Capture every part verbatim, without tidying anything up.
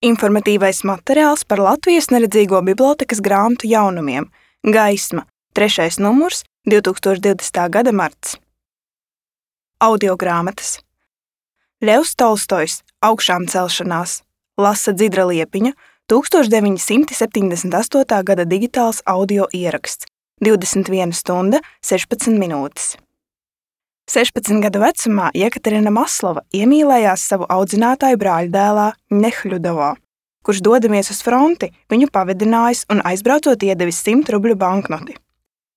Informatīvais materiāls par Latvijas neredzīgo bibliotēkas grāmatu jaunumiem. Gaisma. Trešais numurs, divs tūkstoši divdesmitā gada marts. Audiogrāmatas. Ļevs Tolstojs. Augšām celšanās. Lasa Dzidra Liepiņa. tūkstoš deviņi simti septiņdesmit astotā gada digitāls audio ieraksts. divdesmit viena stunda, sešpadsmit minūtes. sešpadsmit gadu vecumā Jekaterina Maslova iemīlējās savu audzinātāju brāļdēlā Nehļudovā, kurš dodamies uz fronti, viņu pavedinājis un aizbraucot iedevis simt rubļu banknoti.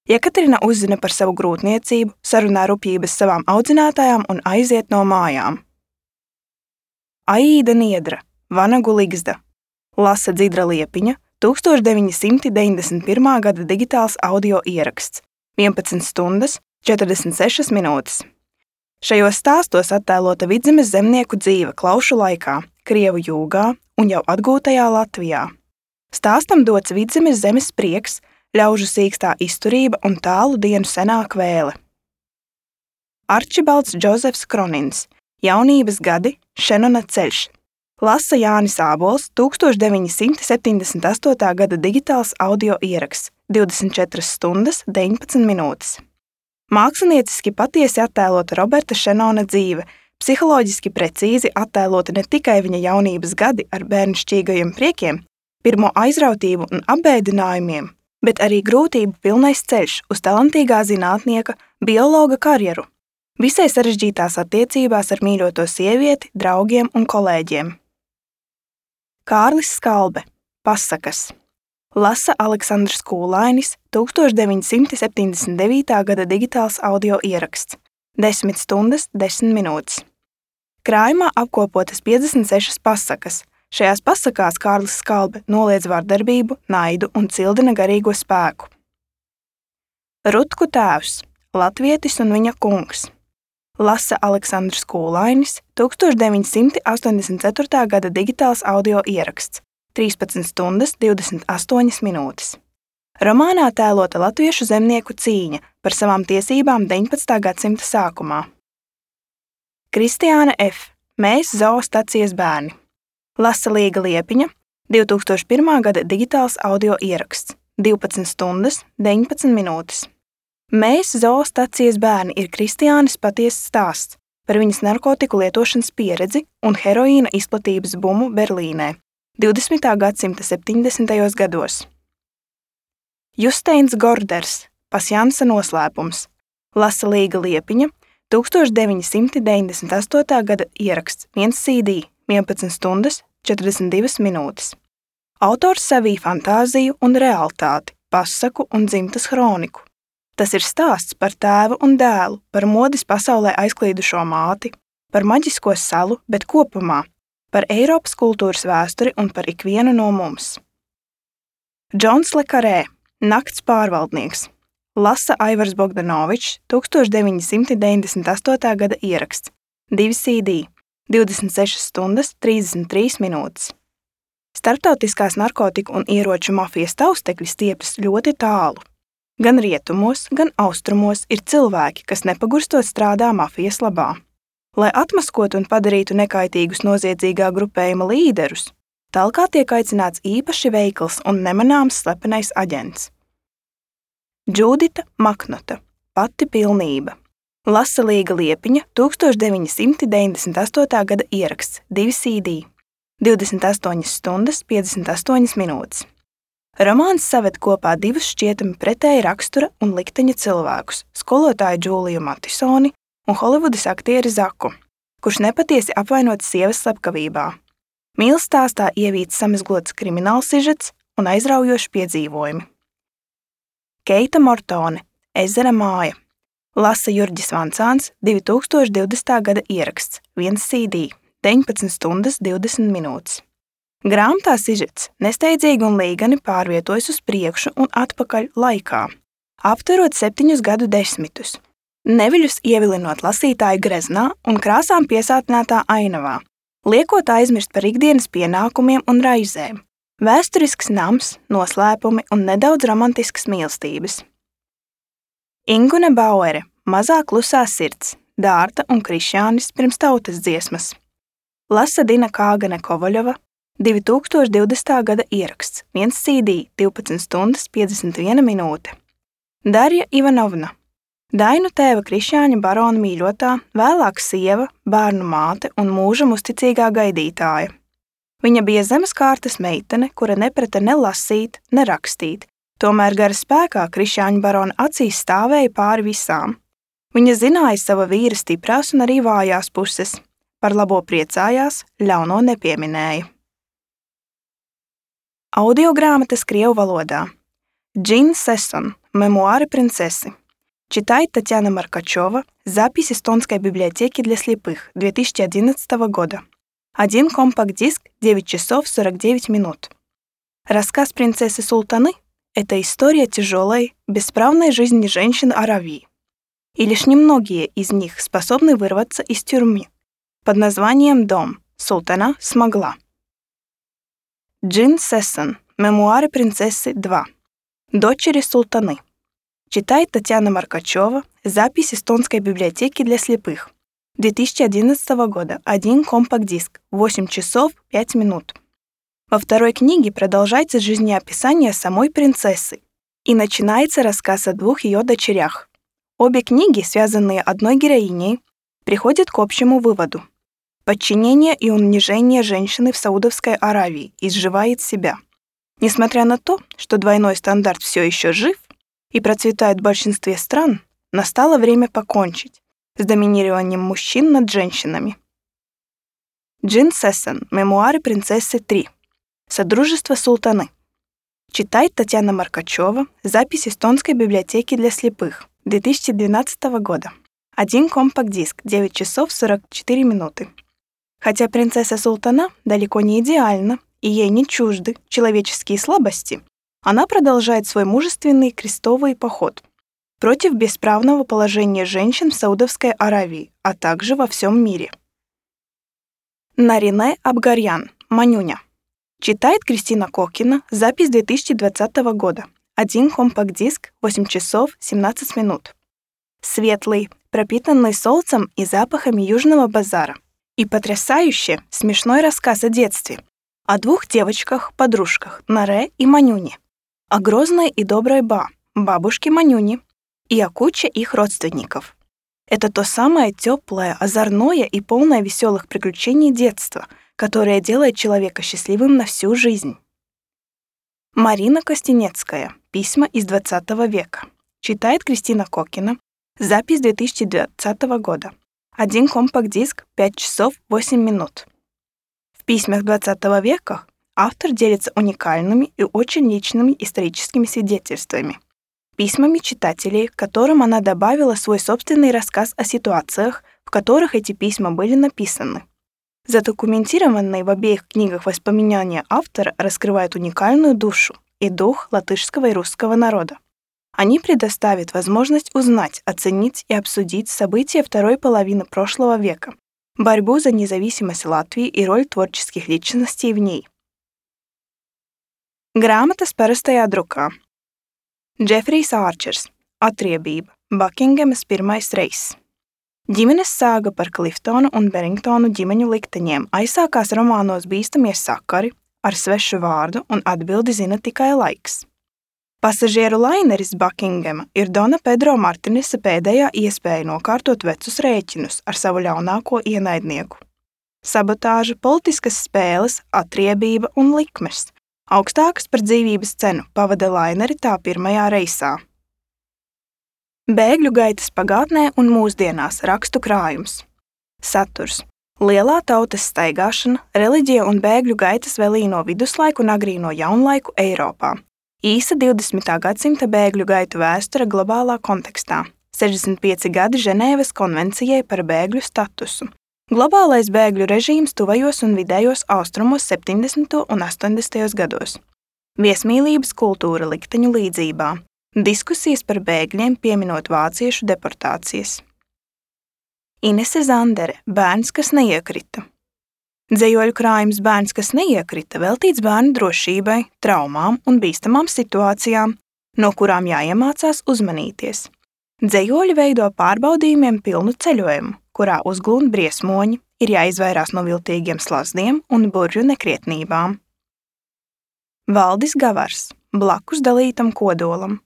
Jekaterina uzzina par savu grūtniecību, sarunā rupjības savām audzinātājām un aiziet no mājām. Aīda Niedra, Vanagu Ligzda. Lasa Dzidra Liepiņa, tūkstoš deviņi simti deviņdesmit pirmā gada digitāls audio ieraksts. vienpadsmit stundas, četrdesmit sešas minūtes. Šajos stāstos attēlota Vidzemes zemnieku dzīve Klaušu laikā, Krievu jūgā un jau atgūtajā Latvijā. Stāstam dots Vidzemes zemes prieks, ļaužu sīkstā izturība un tālu dienu senā kvēle. Arčibalds Džozefs Kronins, Jaunības gadi, Šenona ceļš. Lasa Jānis Ābols, tūkstoš deviņi simti septiņdesmit astotā gada digitāls audio ieraksts, divdesmit četras stundas, deviņpadsmit minūtes. Mākslinieciski patiesi attēlota Roberta Šenona dzīve, psiholoģiski precīzi attēlota ne tikai viņa jaunības gadi ar bērnišķīgajiem priekiem, pirmo aizrautību un apbēdinājumiem, bet arī grūtību pilnais ceļš uz talantīgā zinātnieka, biologa karjeru, visai sarežģītās attiecībās ar mīļoto sievieti, draugiem un kolēģiem. Kārlis Skalbe, Pasakas. Lasa Aleksandrs Kūlainis, tūkstoš deviņi simti septiņdesmit devītā gada digitāls audio ieraksts, desmit stundas, desmit minūtes. Krājumā apkopotas piecdesmit sešas pasakas. Šajās pasakās Kārlis Skalbe noliedz vardarbību, naidu un cildina garīgo spēku. Rutku tēvs, latvietis un viņa kungs. Lasa Aleksandrs Kūlainis, tūkstoš deviņi simti astoņdesmit ceturtā gada digitāls audio ieraksts, trīspadsmit stundas, divdesmit astoņas minūtes. Romānā tēlota latviešu zemnieku cīņa par savām tiesībām deviņpadsmitā gadsimta sākumā. Kristiāna F. Mēs zoostacijas bērni. Lasa Līga Liepiņa, divi tūkstoši pirmā gada digitāls audio ieraksts, divpadsmit stundas, deviņpadsmit minūtes. Mēs zoostacijas bērni ir Kristiānas patiesas stāsts par viņas narkotiku lietošanas pieredzi un heroīna izplatības bumu Berlīnē divdesmitā gadsimta septiņdesmitajos gados. Justeins Gorders, Pasjansa noslēpums. Lasa Līga Liepiņa, tūkstoš deviņi simti deviņdesmit astotā gada ieraksts, viens C D, vienpadsmit stundas, četrdesmit divas minūtes. Autors savīja fantāziju un realitāti, pasaku un dzimtas hroniku. Tas ir stāsts par tēvu un dēlu, par modes pasaulē aizklīdušo māti, par maģisko salu, bet kopumā par Eiropas kultūras vēsturi un par ikvienu no mums. Džons Le Carré, Nakts pārvaldnieks. Lasa Aivars Bogdanovičs, tūkstoš deviņi simti deviņdesmit astotā gada ieraksts, divi C D, divdesmit sešas stundas, trīsdesmit trīs minūtes. Starptautiskās narkotiku un ieroču mafijas taustekļi stiepjas ļoti tālu. Gan rietumos, gan austrumos ir cilvēki, kas nepagurstot strādā mafijas labā. Lai atmaskotu un padarītu nekaitīgus noziedzīgā grupējuma līderus, talkā tiek aicināts īpaši veikls un nemanāms slepenais aģents. Džūdita Maknota, Pati pilnība. Lasa Līga Liepiņa, tūkstoš deviņi simti deviņdesmit astotā gada ieraksts, divi C D, divdesmit astoņas stundas, piecdesmit astoņas minūtes. Romāns saved kopā divus šķietami pretēji rakstura un likteņa cilvēkus, skolotāju Džūliju Matisoni un Holivudas aktieri Zaku, kurš nepatiesi apvainots sievas slepkavībā. Mīlas stāstā ievīts samezglots kriminālsižets un aizraujoši piedzīvojumi. Keita Mortone, Ezera māja. Lasa Jurģis Vancāns, divi tūkstoši divdesmitā gada ieraksts, viens C D, deviņpadsmit stundas, divdesmit minūtes. Grāmatā sižets nesteidzīgi un līgani pārvietojas uz priekšu un atpakaļ laikā, aptverot septiņus gadu desmitus. Neviļus ievilinot lasītāju greznā un krāsām piesātinātā ainavā, liekot aizmirst par ikdienas pienākumiem un raizēm, vēsturisks nams, noslēpumi un nedaudz romantiskas mīlestības. Ingune Bauere, Mazā klusā sirds, Dārta un Krišjānis pirms tautas dziesmas. Lasa Dina Kāgane Kovaļova, divi tūkstoši divdesmitā gada ieraksts, viens C D, divpadsmit stundas piecdesmit viena minūte. Darja Ivanovna, Dainu tēva Krišjāņa barona mīļotā, vēlāk sieva, bērnu māte un mūžam uzticīgā gaidītāja. Viņa bija zemes kārtas meitene, kura neprata ne lasīt, ne rakstīt, tomēr gara spēkā Krišjāņa barona acīs stāvēja pāri visām. Viņa zināja sava vīra stiprās un arī vājās puses. Par labo priecājās, ļauno nepieminēja. Audiogrāmatas krievu valodā. Джин Сессон. Мемуары принцессы. Читает Татьяна Маркачева. Запись Эстонской библиотеки для слепых две тысячи одиннадцатого года. Один компакт-диск, девять часов сорок девять минут. Рассказ принцессы Султаны – это история тяжелой, бесправной жизни женщин Аравии. И лишь немногие из них способны вырваться из тюрьмы. Под названием «Дом» Султана смогла. Джин Сессон. Мемуары принцессы два. Дочери Султаны. Читает Татьяна Маркачева. Запись Эстонской библиотеки для слепых. две тысячи одиннадцатого года. Один компакт-диск. восемь часов пять минут. Во второй книге продолжается жизнеописание самой принцессы и начинается рассказ о двух ее дочерях. Обе книги, связанные одной героиней, приходят к общему выводу. Подчинение и унижение женщины в Саудовской Аравии изживает себя. Несмотря на то, что двойной стандарт все еще жив и процветает в большинстве стран, настало время покончить с доминированием мужчин над женщинами. Джин Сессон. Мемуары принцессы три. Содружество Султаны. Читает Татьяна Маркачева. Запись Эстонской библиотеки для слепых две тысячи двенадцатого года. Один компакт-диск, девять часов сорок четыре минуты. Хотя принцесса Султана далеко не идеальна, и ей не чужды человеческие слабости, она продолжает свой мужественный крестовый поход против бесправного положения женщин в Саудовской Аравии, а также во всем мире. Нарине Абгарьян. Манюня. Читает Кристина Кокина. Запись две тысячи двадцатого года. Один компакт-диск, восемь часов семнадцать минут. Светлый, пропитанный солнцем и запахами Южного базара. И потрясающе смешной рассказ о детстве, о двух девочках-подружках Наре и Манюне, о грозной и доброй Ба, бабушке Манюни, и о куче их родственников. Это то самое теплое, озорное и полное веселых приключений детства, которое делает человека счастливым на всю жизнь. Марина Костенецкая. Письма из двадцатого века. Читает Кристина Кокина. Запись две тысячи двадцатого года. Один компакт-диск, пять часов восемь минут. В письмах двадцатого века автор делится уникальными и очень личными историческими свидетельствами, письмами читателей, к которым она добавила свой собственный рассказ о ситуациях, в которых эти письма были написаны. Задокументированные в обеих книгах воспоминания автора раскрывают уникальную душу и дух латышского и русского народа. Они предоставят возможность узнать, оценить и обсудить события второй половины прошлого века, борьбу за независимость Латвии и роль творческих личностей в ней. Grāmatas parastajā drukā. Džefrijs Ārčers. Atriebība. Bakingemas pirmais reiss. Ģimenes sāga par Kliftonu un Beringtonu ģimeņu likteņiem aizsākās romānos Bīstamie sakari ar svešu vārdu un atbildi zina tikai laiks. Pasažieru laineris Bakingema ir Dona Pedro Martinesa pēdējā iespēja nokārtot vecus rēķinus ar savu ļaunāko ienaidnieku. Sabotāža, politiskas spēles, atriebība un likmes, augstākas par dzīvības cenu, pavada laineri tā pirmajā reisā. Bēgļu gaitas pagātnē un mūsdienās rakstu krājums. Saturs. Lielā tautas staigāšana, reliģija un bēgļu gaitas vēlīno viduslaiku un agrīno jaunlaiku Eiropā. Īsa divdesmitā gadsimta bēgļu gaitu vēsture globālā kontekstā. sešdesmit pieci gadi Ženēvas konvencijai par bēgļu statusu. Globālais bēgļu režīms tuvajos un vidējos austrumos septiņdesmito un astoņdesmitajos gados. Viesmīlības kultūra likteņu līdzībā. Diskusijas par bēgļiem pieminot vāciešu deportācijas. Inese Zandere. Bērns, kas neiekrita. Dzejoļu krājums Bērns, kas neiekrita, veltīts bērnu drošībai, traumām un bīstamām situācijām, no kurām jāiemācās uzmanīties. Dzejoļi veido pārbaudījumiem pilnu ceļojumu, kurā uzglūn briesmoņi, ir jāizvairās no viltīgiem slazdiem un burvju nekrietnībām. Valdis Gavars, blakus dalītam kodolam.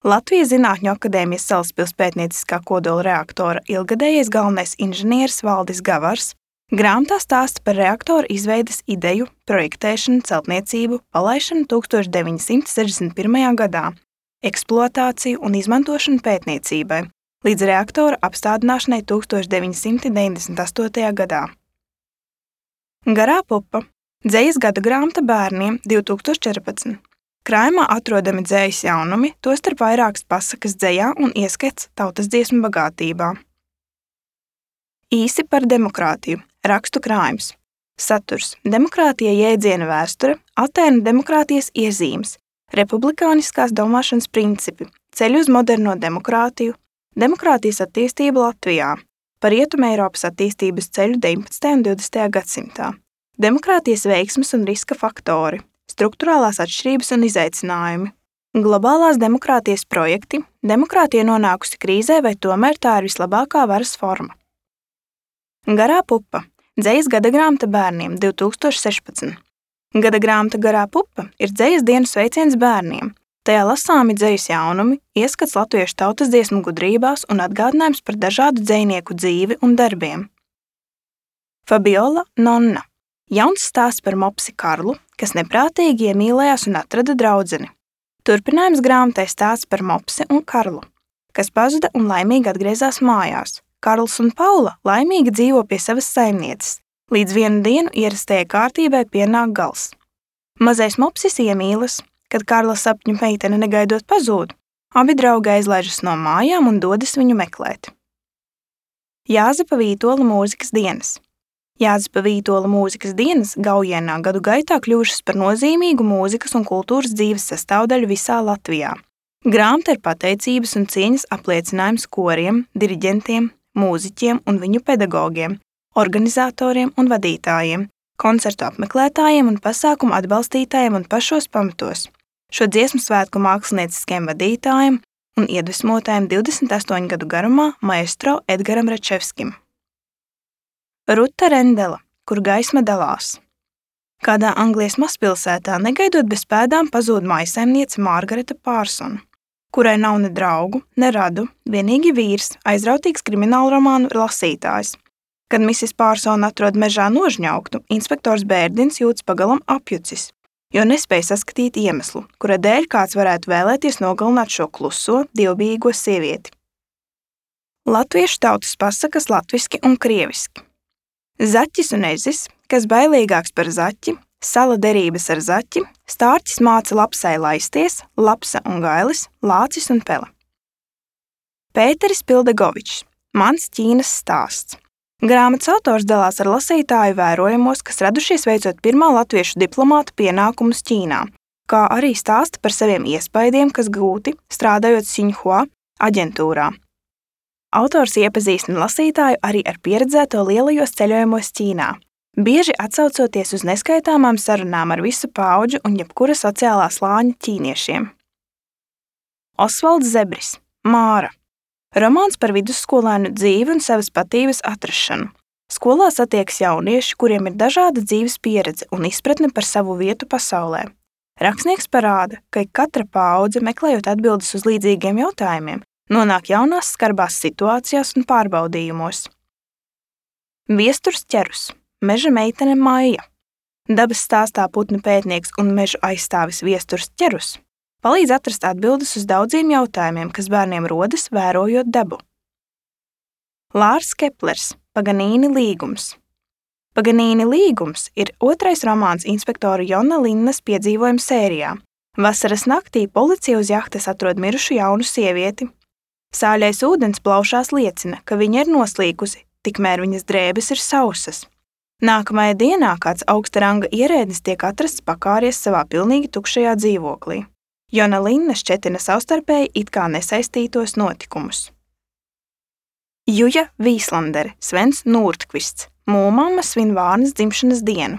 Latvijas Zinātņu akadēmijas Salaspils pētnieciskā kodola reaktora ilgadējais galvenais inženieris Valdis Gavars grāmatā stāsta par reaktora izveides ideju, projektēšanu, celtniecību, palaišanu tūkstoš deviņi simti sešdesmit pirmajā gadā, eksploatāciju un izmantošanu pētniecībai, līdz reaktora apstādināšanai tūkstoš deviņi simti deviņdesmit astotajā gadā. Garā pupa – dzejas gada grāmata bērniem divi tūkstoši četrpadsmit. Krājumā atrodami dzejas jaunumi, tostarp vairākas pasakas dzejā un ieskats tautas dziesmu bagātībā. Īsi par demokrātiju. Rakstu krājums. Saturs. Demokrātija jēdziena vēsture, Atēnu demokrātijas iezīmes, republikāniskās domāšanas principi, ceļu uz moderno demokrātiju, demokrātijas attīstība Latvijā, par Rietumeiropas attīstības ceļu deviņpadsmitajā un divdesmitajā gadsimtā, demokrātijas veiksmes un riska faktori, strukturālās atšķirības un izaicinājumi, globālās demokrātijas projekti, demokrātija nonākusi krīzē vai tomēr tā ir vislabākā varas forma. Garā pupa – dzejas gada grāmata bērniem divi tūkstoši sešpadsmit. Gada grāmata Garā pupa ir dzejas dienas sveiciens bērniem. Tajā lasāmi dzejas jaunumi, ieskats latviešu tautas dziesmu gudrībās un atgādinājums par dažādu dzejnieku dzīvi un darbiem. Fabiola Nonna. Jauns stāsts par mopsi Karlu, kas neprātīgi iemīlējās un atrada draudzeni. Turpinājums grāmatai stāsts par mopsi un Karlu, kas pazuda un laimīgi atgriezās mājās. Karls un Paula laimīgi dzīvo pie savas saimnieces, līdz vienu dienu ierastajai kārtībai pienāk gals. Mazais mopsis iemīlas, kad Karla sapņu meitene negaidot pazūd, abi draugi aizlaižas no mājām un dodas viņu meklēt. Jāzepa Vītola mūzikas dienas. Jāzepa Vītola mūzikas dienas Gaujienā gadu gaitā kļuvušas par nozīmīgu mūzikas un kultūras dzīves sastāvdaļu visā Latvijā. Grāmata ir pateicības un cieņas apliecinājums koriem, diriģentiem, mūziķiem un viņu pedagogiem, organizatoriem un vadītājiem, koncertu apmeklētājiem un pasākumu atbalstītājiem un pašos pamatos, šo dziesmu svētku mākslinieciskiem vadītājiem un iedvesmotājiem divdesmit astoņu gadu garumā maestro Edgaram Račevskim. Ruta Rendela, kur gaisma dalās. Kādā Anglijas mazpilsētā negaidot bez pēdām pazūd mājsaimniece Margareta Pārsona, kurai nav ne draugu, ne radu, vienīgi vīrs, aizrautīgs kriminālromānu lasītājs. Kad misis Pārsona atrod mežā nožņauktu, inspektors Bērdins jūtas pagalam apjucis, jo nespēja saskatīt iemeslu, kura dēļ kāds varētu vēlēties nogalināt šo kluso, dievbijīgo sievieti. Latviešu tautas pasakas latviski un krieviski. Zaķis un ezis, kas bailīgāks par zaķi, sala derības ar zaķi, stārķis māca lapsai laisties, lapsa un gailis, lācis un pele. Pēteris Pildegovičs, mans Ķīnas stāsts. Grāmatas autors dalās ar lasītāju vērojamos, kas radušies veicot pirmā latviešu diplomāta pienākumus Ķīnā, kā arī stāsta par saviem iespaidiem, kas gūti, strādājot Xinhua aģentūrā. Autors iepazīstina lasītāju arī ar pieredzēto lielajos ceļojumos Ķīnā, bieži atsaucoties uz neskaitāmām sarunām ar visu paudžu un jebkura sociālā slāņa ķīniešiem. Osvalds Zebris, Māra. Romāns par vidusskolēnu dzīvi un savas patības atrašanu. Skolā satiekas jaunieši, kuriem ir dažāda dzīves pieredze un izpratne par savu vietu pasaulē. Rakstnieks parāda, ka katra paudze, meklējot atbildes uz līdzīgiem jautājumiem, nonāk jaunās skarbās situācijās un pārbaudījumos. Viesturs ķerus, meža meitene Maija. Dabas stāstā putnu pētnieks un mežu aizstāvis Viesturs ķerus palīdz atrast atbildes uz daudziem jautājumiem, kas bērniem rodas, vērojot dabu. Lārs Keplers, Paganīni līgums. Paganīni līgums ir otrais romāns inspektora Jona Linnas piedzīvojumu sērijā. Vasaras naktī policija uz jahtas atrod mirušu jaunu sievieti. Sāļais ūdens plaušās liecina, ka viņa ir noslīkusi, tikmēr viņas drēbes ir sausas. Nākamajā dienā kāds augsta ranga ierēdnis tiek atrasts pakāries savā pilnīgi tukšajā dzīvoklī. Jona Linna šķetina savstarpēji it kā nesaistītos notikumus. Juja Vīslandere, Svens Nūrtkvists, mūmamma svin Vārnas dzimšanas dienu.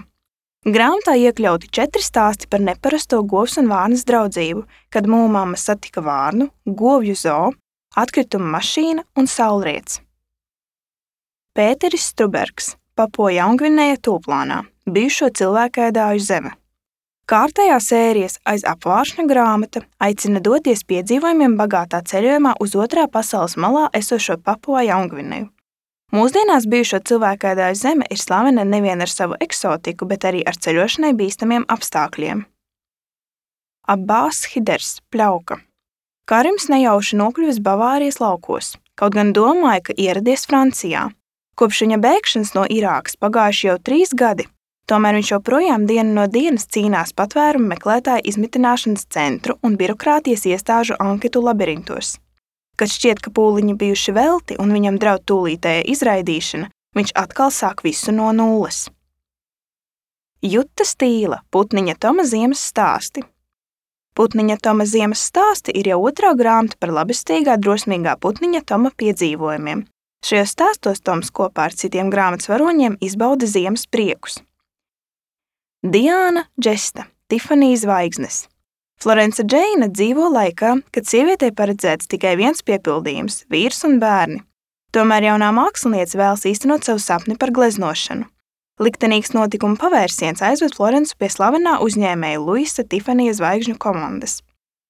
Grāmatā iekļauti četri stāsti par neparasto govs un Vārnas draudzību, kad mūmamma satika Vārnu, govju zoo, atkrituma mašīna un saulriets. Pēteris Strubergs, Papua-Jaungvinēja tūplānā, bijušo cilvēkēdāju zeme. Kārtējā sērijas Aiz apvāršņa grāmata aicina doties piedzīvojumiem bagātā ceļojumā uz otrā pasaules malā esošo Papua-Jaungvinēju. Mūsdienās bijušo cilvēkēdāju zeme ir slavena nevien ar savu eksotiku, bet arī ar ceļošanai bīstamiem apstākļiem. Abbās Hiders, pļauka. Karims nejauši nokļuvis Bavārijas laukos, kaut gan domāja, ka ieradies Francijā. Kopš viņa bēgšanas no Irākas pagājuši jau trīs gadi, tomēr viņš joprojām dienu no dienas cīnās patvērumu meklētāju izmitināšanas centru un birokrātijas iestāžu anketu labirintos. Kad šķiet, ka pūliņi bijuši velti un viņam draud tūlītēja izraidīšana, viņš atkal sāk visu no nulles. Juta Stīla, Putniņa Toma ziemas stāsti. Putniņa Toma ziemas stāsti ir jau otrā grāmata par labestīgā, drosmīgā Putniņa Toma piedzīvojumiem. Šajos stāstos Toms kopā ar citiem grāmatas varoņiem izbauda ziemas priekus. Diāna Džesta, Tifanija zvaigznes. Florence Džeina dzīvo laikā, kad sievietei paredzēts tikai viens piepildījums – vīrs un bērni. Tomēr jaunā māksliniece vēlas īstenot savu sapni par gleznošanu. Liktenīgs notikuma pavērsiens aizved Florencu pie slavenā uzņēmēja Luisa Tifanija zvaigžņu komandas.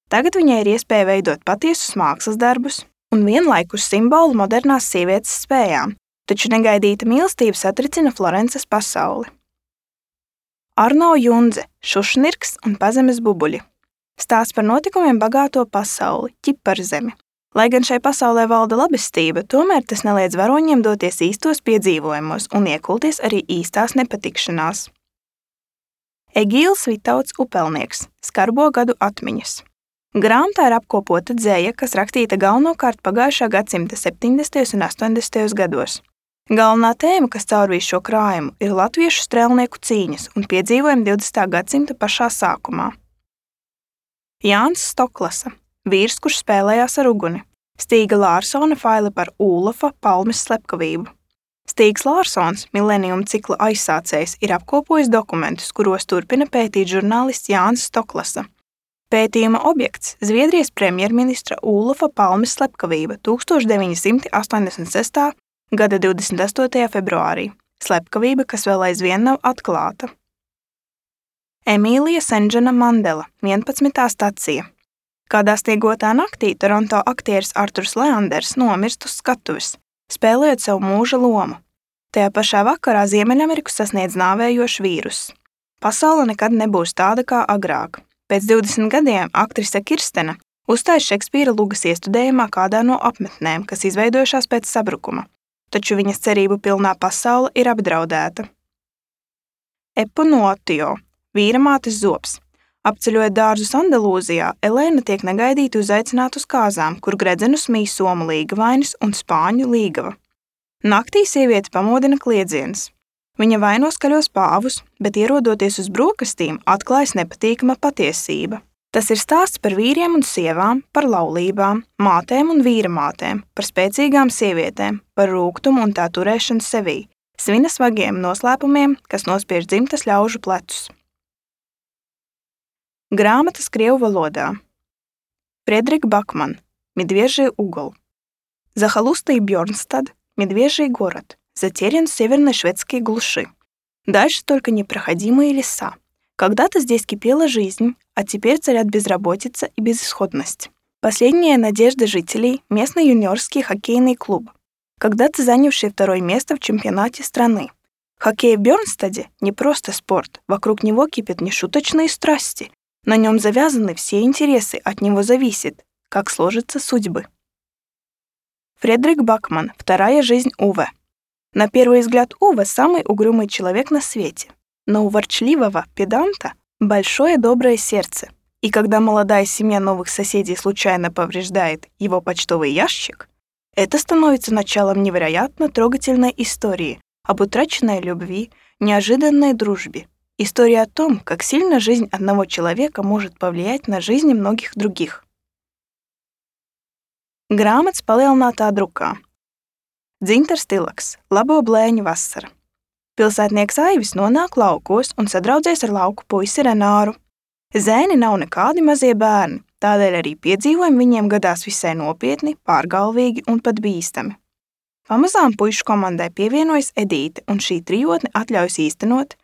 Tagad viņai ir iespēja veidot patiesus mākslas darbus un vienlaikus simbolu modernās sievietes spējām, taču negaidīta mīlestība satricina Florences pasauli. Arno Jundze, Šušnirks un pazemes bubuļi. Stāsts par notikumiem bagāto pasauli, ķiparzemi. Lai gan šai pasaulē valda labestība, tomēr tas neliedz varoņiem doties īstos piedzīvojumos un iekulties arī īstās nepatikšanās. Egīls Vitauts Upelnieks, Skarbo gadu atmiņas. Grāmatā ir apkopota dzeja, kas rakstīta galvenokārt pagājušā gadsimta septiņdesmitajos un astoņdesmitajos gados. Galvenā tēma, kas caurvīs šo krājumu, ir latviešu strēlnieku cīņas un piedzīvojumi divdesmitā gadsimta pašā sākumā. Jānis Stoklasa, vīrs, kurš spēlējās ar uguni. Stīga Lārsona faili par Ūlofa palmes slepkavību. Stīgs Lārsons, Millennium cikla aizsācējs, ir apkopojis dokumentus, kuros turpina pētīt žurnālists Jānis Stoklasa. Pētījuma objekts – Zviedrijas premjerministra Ūlofa palmes slepkavība tūkstoš deviņi simti astoņdesmit sestā gada divdesmit astotajā februārī. Slepkavība, kas vēl aizvien nav atklāta. Emīlija Senžana Mandela, vienpadsmitā stacija. Kādā sniegotā naktī Toronto aktieris Arturs Leanders nomirst uz skatuves, spēlējot savu mūža lomu. Tajā pašā vakarā Ziemeļameriku sasniedz nāvējošs vīruss. Pasaule nekad nebūs tāda kā agrāk. Pēc divdesmit gadiem aktrise Kirstena uzstājas Šekspīra lugas iestudējumā kādā no apmetnēm, kas izveidojušās pēc sabrukuma, taču viņas cerību pilnā pasaule ir apdraudēta. Epunuotio, vīra mātes zobs. Apceļojot dārzus Andalūzijā, Elēna tiek negaidīti uzaicināta uz kāzām, kur gredzenus mīj somu līgavainis un spāņu līgava. Naktī sieviete pamodina kliedziens. Viņa vaino skaļos pāvus, bet ierodoties uz brokastīm, atklājas nepatīkama patiesība. Tas ir stāsts par vīriem un sievām, par laulībām, mātēm un vīra mātēm, par spēcīgām sievietēm, par rūgtumu un tā turēšanu sevī, svinas vagiem noslēpumiem, kas nospiež dzimtas ļaužu plecus. Grāmatas krievu valodā. Fredrik Bakman, Медвежий угол. Захолустный Бёрнстад, Медвежий город. Затерян в северной шведской глуши. Дальше только непроходимые леса. Когда-то здесь кипела жизнь, а теперь царят безработица и безысходность. Последняя надежда жителей – местный юниорский хоккейный клуб, когда-то занявший второе место в чемпионате страны. Хоккей в Бёрнстаде – не просто спорт, вокруг него кипят нешуточные страсти. На нем завязаны все интересы, от него зависит, как сложатся судьбы. Фредерик Бакман. Вторая жизнь Уве. На первый взгляд Уве самый угрюмый человек на свете, но у ворчливого педанта большое доброе сердце, и когда молодая семья новых соседей случайно повреждает его почтовый ящик, это становится началом невероятно трогательной истории об утраченной любви, неожиданной дружбе, история о том, как сильно жизнь одного человека может повлиять на жизни многих других. Grāmatas palielinātā drukā. Dzintars Tilaks, Labo blēņu vasara. Pilsētnieks Aivis nonāk laukos un sadraudzēs ar lauku puisi Renāru. Zēni nav nekādi mazie bērni, tādēļ arī piedzīvojumi viņiem gadās visai nopietni, pārgalvīgi un pat bīstami. Pamazām puišu komandai pievienojas Edīte, un šī trijotne atļaujas īstenot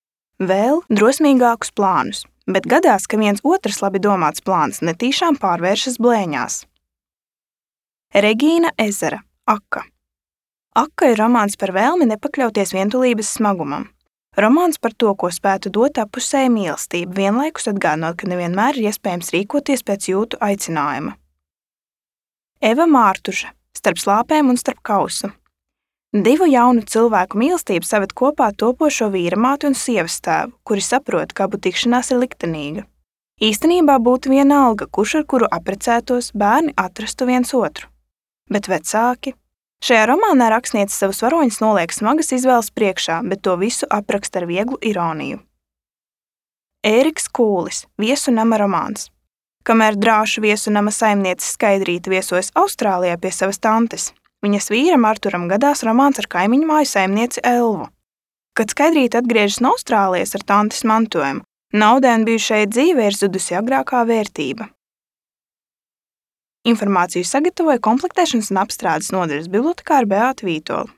vēl drosmīgākus plānus, bet gadās, ka viens otrs labi domāts plāns netīšām pārvēršas blēņās. Regīna Ezera, Akka. Akka ir romāns par vēlmi nepakļauties vientulības smagumam. Romāns par to, ko spētu dot apusēja mīlestība, vienlaikus atgādinot, ka nevienmēr ir iespējams rīkoties pēc jūtu aicinājuma. Eva Mārtuža, Starp slāpēm un starp kausu. Divu jaunu cilvēku mīlestību saved kopā topošo vīramāti un sievas tēvu, kuri saprot, ka abu tikšanās ir liktenīga. Īstenībā būtu vienalga, kurš ar kuru apprecētos, bērni atrastu viens otru. Bet vecāki. Šajā romānā rakstniece savus varoņus noliek smagas izvēles priekšā, bet to visu apraksta ar vieglu ironiju. Ēriks Kūlis, Viesu nama romāns. Kamēr drāšu viesu nama saimniece Skaidrīte viesojas Austrālijā pie savas tantes, viņas vīram Arturam gadās romāns ar kaimiņu māju saimnieci Elvu. Kad Skaidrīte atgriežas no Austrālijas ar tantes mantojumu, naudai un bijušai dzīvei ir zudusi agrākā vērtība. Informāciju sagatavoja komplektēšanas un apstrādes nodaļas bibliotekāra Beāta Vītola.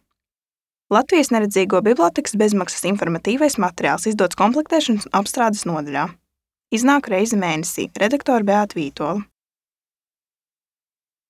Latvijas neredzīgo bibliotekas bezmaksas informatīvais materiāls izdots komplektēšanas un apstrādes nodaļā. Iznāk reizi mēnesī. Redaktore Beāta Vītola.